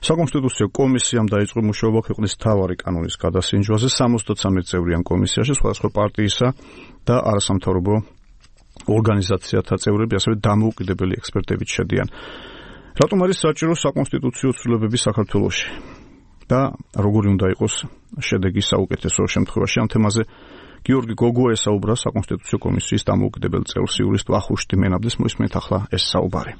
საკონსტიტუციო კომისიამ დაიწყო მუშაობა ქვეყნის მთავარი კანონის გადასინჯვაზე 73 წევრიან კომისიაში სხვადასხვა პარტიისა და არასამთავრობო ორგანიზაციათა წევრები, ასევე დამოუკიდებელი ექსპერტებიც შედიან. რატომ არის საჭირო საკონსტიტუციო ცვლილებები საქართველოში და როგორი უნდა იყოს შედეგი საუკეთესო შემთხვევაში? ამ თემაზე გიორგი გოგო ესაუბრა საკონსტიტუციო კომისიის დამოუკიდებელ წევრს იურისტ ვახუშტი მენაბდეს. მოისმენთ ახლა ეს საუბარი.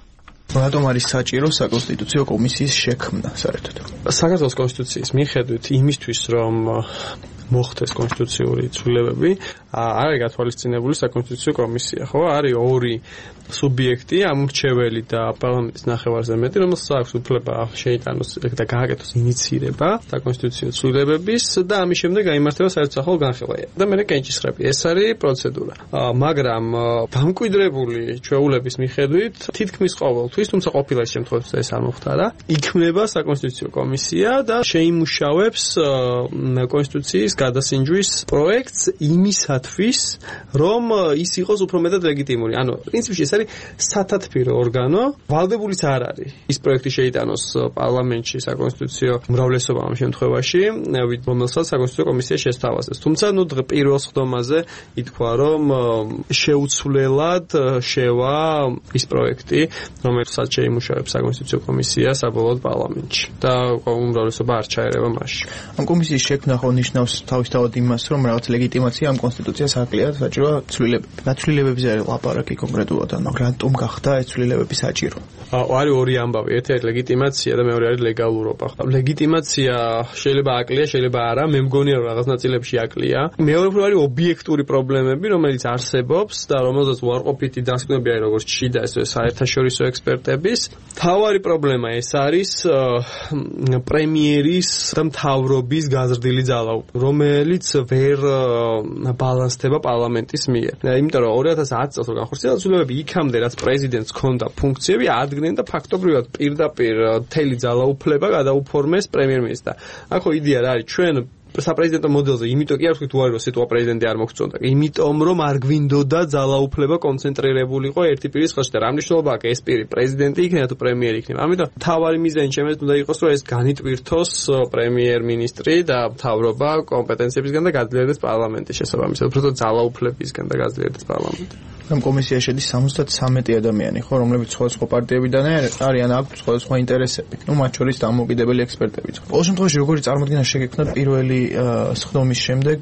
რატომ არის საჭირო საკონსტიტუციო კომისიის შექმნა საერთოდ? საქართველოს კონსტიტუციის მიხედვით იმისთვის, რომ მოხდეს კონსტიტუციური ცვლილებები, არ არის გათვალისწინებული საკონსტიტუციო კომისია, ხო? არის ორი სუბიექტი, ამორჩეველი და პარლამენტის ნახევარზე მეტი, რომელსაც აქვს უფლება შეიტანოს და გააკეთოს ინიცირება საკონსტიტუციო ცვლილებების და ამის შემდეგ გაიმართება საერთაშორისო განხილვა. და მე კენჭისყრები. ეს არის პროცედურა. მაგრამ დამკვიდრებული ჩვეულების მიხედვით თითქმის ყოველთვის, თუმცა ყოფილა ის შემთხვევაში ეს არ მოხდა, იქმნება საკონსტიტუციო კომისია და შეიმუშავებს კონსტიტუციის გადასინჯვის პროექტს იმისათვის, რომ ის იყოს უფრო მეტად ლეგიტიმური. ანუ პრინციპში ეს არის სათათბირო ორგანო, ვალდებულიც არ არის ის პროექტი შეიტანოს პარლამენტში საკონსტიტუციო უმრავლესობა ამ შემთხვევაში, რომელსაც საკონსტიტუციო კომისია შესთავაზებს. თუმცა პირველ სხდომაზე ითქვა, რომ შეუცვლელად შევა ის პროექტი, რომელსაც შეიმუშავებს საკონსტიტუციო კომისია საბოლოოდ პარლამენტში და უმრავლესობა არ ჩაერევა მასში. ამ კომისიის შექმნა ხო ნიშნავს თავისთავად იმას, რომ რაღაც ლეგიტიმაცია ამ კონსტიტუციას აკლია საჭირო ცვლილებები. ნაცვლილებებზე არის ლაპარაკი კონკრეტულად, მაგრამ რატომ გახდა ეს ცვლილებები საჭირო? არის ორი ამბავი. ერთი არის ლეგიტიმაცია და მეორე არის ლეგალურობა. ლეგიტიმაცია შეიძლება აკლია, შეიძლება არა. მე მგონია, რომ რაღაც ნაწილებში აკლია. მეორე უფრო არის ობიექტური პრობლემები, რომელიც არსებობს და რომელზეც უარყოფითი დასკვნები არის როგორც შიდა, ესე საერთაშორისო ექსპერტების. თავარი პრობლემა ეს არის პრემიერის და მთავრობის გაზრდილი ძალაუფლება, რომელიც ვერ ბალანსდება პარლამენტის მიერ. იმიტომ რომ 2010 წელს რო განხორციელდა ცვლილებები, იქამდე რაც პრეზიდენტს ჰქონდა ფუნქციები, ადგენდა და ფაქტობრივად პირდაპირ მთელი ძალაუფლება გადაუფორმეს პრემიერ-მინისტრს. ახო იდეა რა არის? ჩვენ საპრეზიდენტო მოდელზე, იმიტომ კი არ ვთქვით უარი, რომ სიტუა პრეზიდენტი არ მოგწონდა. იმიტომ რომ არ გვინდოდა ძალაუფლება კონცენტრირებულიყო ერთი პირის ხელში და რა მნიშვნელობა აქვს ეს პირი პრეზიდენტი იქნება თუ პრემიერი იქნება. ამიტომ თავარი მიზანი ჩემთვის უნდა იყოს, რომ ეს განიტვირთოს პრემიერ-მინისტრი და მთავრობა კომპეტენციებისგან და გაძლიერდეს პარლამენტის შესაბამისად, უფრო ძალაუფლებისგან და გაძლიერდეს პარლამენტი. ამ კომისიაში შედის 73 ადამიანი, ხო, რომლებიც სხვადასხვა პარტიებიდან არიან, აქვთ სხვადასხვა ინტერესები. მათ შორის დამოუკიდებელი ექსპერტებიც. ყოველ შემთხვევაში, როგორი წარმოდგენა შეგექმნა პირველი სხდომის შემდეგ,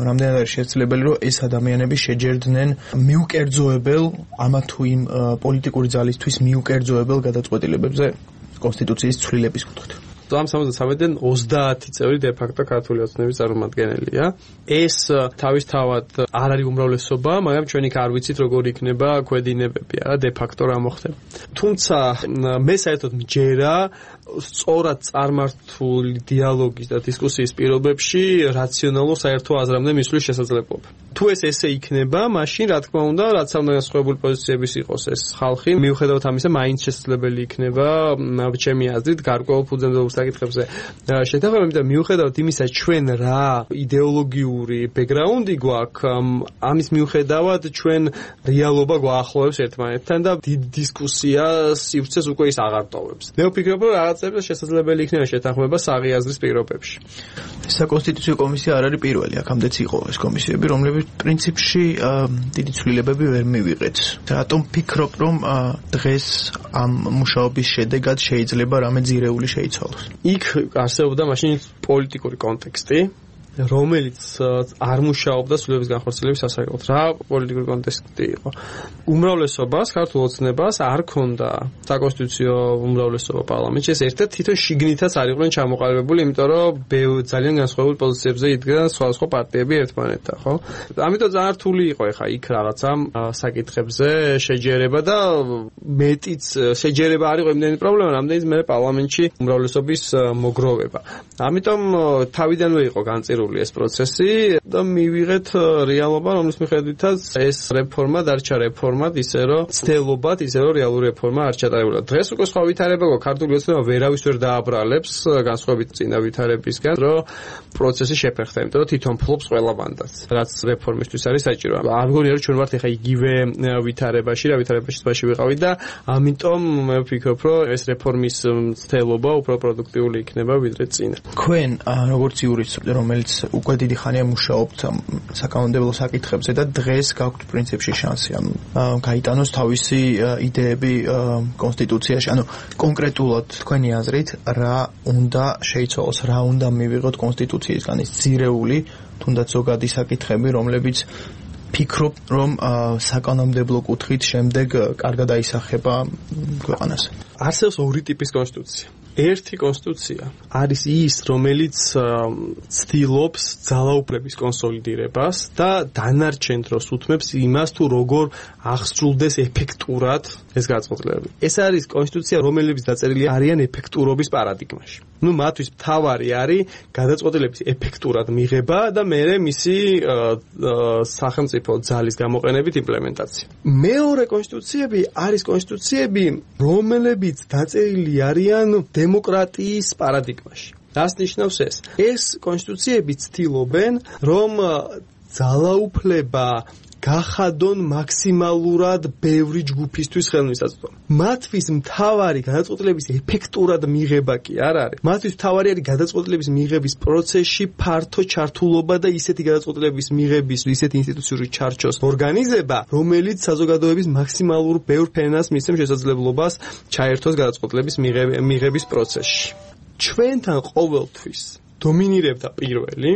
რამდენად არის შესაძლებელი, რომ ეს ადამიანები შეჯერდნენ მიუკერძოებელ ამა თუ იმ პოლიტიკური ძალისთვის მიუკერძოებელ გადაწყვეტილებებზე კონსტიტუციის ცვლილების კუთხით. ამ 73-დან 30 წევრი დე-ფაქტო ქართული ოცნების წარმომადგენელია. ეს თავისთავად არ არის უმრავლესობა, მაგრამ ჩვენ იქ არ ვიცით როგორ იქნება ქვედინებები, არა დე-ფაქტო რა მოხდება. თუმცა მე საერთოდ მჯერა სწორად წარმართული დიალოგის და დისკუსიის პირობებში რაციონალურ საერთო აზრამდე მისვლის შესაძლებლობა. თუ ეს ესე იქნება, მაშინ რა თქმა უნდა, რაც ამ განსხვავებული პოზიციების იყოს ეს ხალხი, მიუხედავად ამისა, მაინც შესაძლებელი იქნება ჩემი აზრით გარკვეულ ფუძემდებურ საკითხებზე შეთანხმება, იმიტომ მიუხედავად იმისა, ჩვენ რა იდეოლოგიური ბექგრაუნდი გვაქვს, ამის მიუხედავად ჩვენ რეალობა გვაახლოვებს ერთმანეთთან და დიდ დისკუსიას სივრცეს უკვე ის აღარ ტოვებს. მე ვფიქრობ, რომ რაღაცებზე შესაძლებელი იქნება შეთანხმება საღი აზრის პირობებში. საკონსტიტუციო კომისია არ არის პირველი, აქამდეც იყო ეს კომისიები, რომლებიც პრინციპში დიდი ცვლილებები ვერ მივიღეთ. რატომ ფიქრობ, რომ დღეს ამ მუშაობის შედეგად შეიძლება რამე ძირეული შეიცვალოს? იქ არსებობდა მაშინ პოლიტიკური კონტექსტი, რომელიც არ მუშაობდა ცვლილებების განხორციელების სასარგებლოდ. რა პოლიტიკური კონტექსტი იყო? უმრავლესობას, ქართულ ოცნებას არ ქონდა საკონსტიტუციო უმრავლესობა პარლამენტში. ეს ერთად თვითონ შიგნითაც არ იყვნენ ჩამოყალიბებული, იმიტომ რომ ძალიან განსხვავებული პოზიციებზე იდგნენ სხვადასხვა პარტიები ერთმანეთთან, ხო? ამიტომ ძალიან რთული იყო ეხა იქ რაღაცა საკითხებზე შეჯერება და მეტიც შეჯერება არ იყო იმდენი პრობლემა, რამდენიც მე პარლამენტში უმრავლესობის მოგროვება. ამიტომ თავიდანვე იყო განწირული დემოკრატიული ეს პროცესი და მივიღეთ რეალობა, რომლის მიხედვითაც ეს რეფორმა დარჩა რეფორმად, ისე რომ ცდელობად, ისე რომ რეალური რეფორმა არ ჩატარებულა. დღეს უკვე სხვა ვითარება გვაქვს, ქართული ოცნება ვერავის ვერ დააბრალებს განსხვავებით წინა ვითარებისგან, რომ პროცესი შეფერხდა, იმიტომ რომ თვითონ ფლობს ყველა მანდატს, რაც რეფორმისთვის არის საჭირო. არ მგონია რომ ჩვენ ვართ ახლა იგივე ვითარებაში, რა ვითარებაში ვიყავით და ამიტომ მე ვფიქრობ, რომ ეს რეფორმის ცდელობა უფრო პროდუქტიული იქნება ვიდრე წინა. თქვენ როგორც იურისტი, რომელიც უკვე დიდი ხანია მუშაობთ საკანონმდებლო საკითხებზე და დღეს გაქვთ პრინციპში შანსი, ანუ გაიტანოს თავისი იდეები კონსტიტუციაში, ანუ კონკრეტულად თქვენი აზრით რა უნდა შეიცვალოს, რა უნდა მივიღოთ კონსტიტუციისგან ის ძირეული, თუნდაც ზოგადი საკითხები, რომლებიც ფიქრობ, რომ საკანონმდებლო კუთხით შემდეგ კარგად აისახება ქვეყანას. არსებობს ორი ტიპის კონსტიტუცია. ერთი კონსტიტუცია არის ის, რომელიც ცდილობს ძალაუფლების კონსოლიდირებას და დანარჩენ დროს უთმებს იმას, თუ როგორ აღსრულდეს ეფექტურად ეს გადაწყვეტილებები. ეს არის კონსტიტუცია, რომელიც დაწერილი არიან ეფექტურობის პარადიგმაში. მათთვის მთავარი არის გადაწყვეტილების ეფექტურად მიღება და მერე მისი სახელმწიფო ძალის გამოყენებით იმპლემენტაცია. მეორე კონსტიტუციები არის კონსტიტუციები, რომლებიც დაწერილი არიან დემოკრატიის პარადიგმაში. რას ნიშნავს ეს? ეს კონსტიტუციები ცდილობენ, რომ ძალაუფლება გახადონ მაქსიმალურად ბევრი ჯგუფისთვის ხელმისაწვდომი. მათთვის მთავარი გადაწყვეტილების ეფექტურად მიღება კი არ არის. მათთვის მთავარი არის გადაწყვეტილების მიღების პროცესში ფართო ჩართულობა და ისეთი გადაწყვეტილების მიღების, ისეთი ინსტიტუციური ჩარჩოს ორგანიზება, რომელიც საზოგადოების მაქსიმალურ ბევრ ფენას მისცემს შესაძლებლობას ჩაერთოს გადაწყვეტილების მიღების პროცესში. ჩვენთან ყოველთვის დომინირებდა პირველი,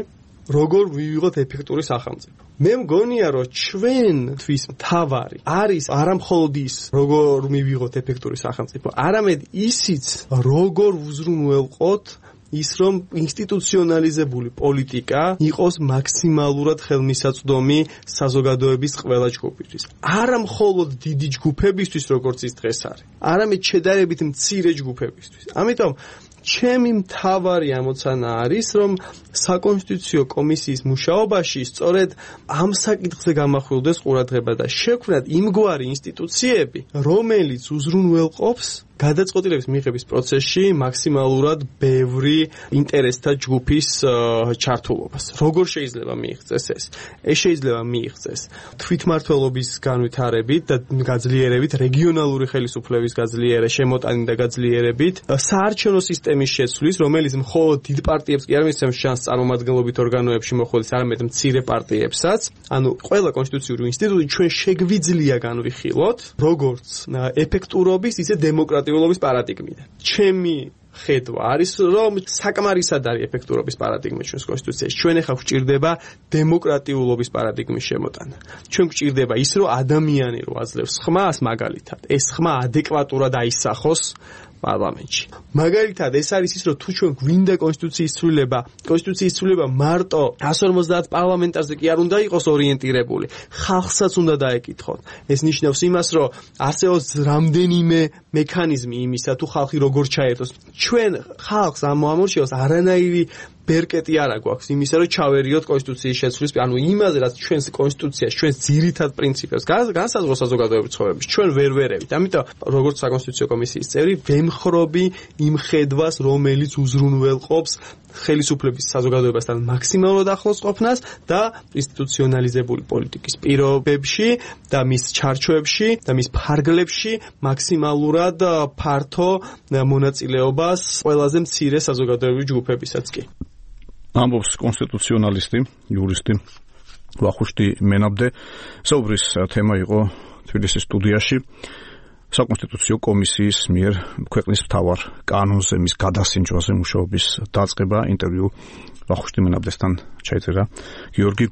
როგორ ვივიღოთ ეფექტური სახელმწიფო. მე მგონია, რომ ჩვენთვის მთავარი არის არა მხოლოდ ის, როგორ მივიღოთ ეფექტური სახელმწიფო, არამედ ისიც, როგორ უზრუნველყოთ ის, რომ ინსტიტუციონალიზებული პოლიტიკა იყოს მაქსიმალურად ხელმისაწვდომი საზოგადოების ყველა ჯგუფისთვის. არა მხოლოდ დიდი ჯგუფებისთვის, როგორც ის დღეს არის, არამედ შედარებით მცირე ჯგუფებისთვის. ამიტომ ჩემი მთავარი ამოცანა არის, რომ საკონსტიტუციო კომისიის მუშაობაში სწორედ ამ საკითხზე გამახვილდეს ყურადღება და შექმნათ იმგვარი ინსტიტუციები, რომელიც უზრუნველყოფს გადაწყვეტილების მიღების პროცესში მაქსიმალურად ბევრი ინტერესთა ჯგუფის ჩართულობას. როგორ შეიძლება მიიღწეს ეს? ეს შეიძლება მიიღწეს თვითმმართველობის განვითარებით და გაძლიერებით, რეგიონალური ხელისუფლების შემოტანით და გაძლიერებით, საარჩევნო სისტემის შეცვლის, რომელიც მხოლოდ დიდ პარტიებს კი არ მისცემს შანსს წარმომადგენლობით ორგანოებში მოხვედრას, არამედ მცირე პარტიებსაც. ანუ ყველა კონსტიტუციური ინსტიტუტი ჩვენ შეგვიძლია განვიხილოთ, როგორც ეფექტურობის, ისე დემოკრატიულობის პარადიგმიდან. ჩემი ხედვა არის, რომ საკმარისად არის ეფექტურობის პარადიგმა ჩვენს კონსტიტუციაში. ჩვენ ახლა გვჭირდება დემოკრატიულობის პარადიგმის შემოტანა. ჩვენ გვჭირდება ის, რომ ადამიანი რო აძლევს ხმას, მაგალითად, ეს ხმა ადეკვატურად აისახოს პარლამენტში. მაგალითად, ეს არის ის, რომ თუ ჩვენ გვინდა კონსტიტუციის ცვლილება მარტო 150 პარლამენტარზე კი არ უნდა იყოს ორიენტირებული, ხალხსაც უნდა დაეკითხოთ. ეს ნიშნავს იმას, რომ არსებობს რამდენიმე მექანიზმი იმისა, თუ ხალხი როგორ ჩაერთოს. ჩვენ ხალხს ამორჩევს არანაირი ბერკეტი არა გვაქვს იმისა, რომ ჩავერიოთ კონსტიტუციის შეცვლის, ანუ იმაზე, რაც ჩვენს კონსტიტუციაში, ჩვენს ძირითად პრინციპებს განსაზღვროს საზოგადოების ცხოვრებაში, ჩვენ ვერ ვერევით. ამიტომ, როგორც საკონსტიტუციო კომისიის წევრი, ვემხრობი იმ ხედვას, რომელიც უზრუნველყოფს ხელისუფლების საზოგადოებასთან მაქსიმალურად ახლოს ყოფნას და ინსტიტუციონალიზებული პოლიტიკის პირობებში და მის ჩარჩოებში და მის ფარგლებში მაქსიმალურად ფართო მონაწილეობას ყველაზე მცირე საზოგადოებრივი ჯგუფებისაც კი. ამბობს კონსტიტუციონალისტი, იურისტი ვახუშტი მენაბდე. საუბრის თემა იყო თბილისის სტუდიაში საკონსტიტუციო კომისიის მიერ ქვეყნის მთავარ კანონზე, მის გადასინჯვაზე მუშაობის დაწყება. ინტერვიუ ვახუშტი მენაბდესთან ჩაიწერა გიორგი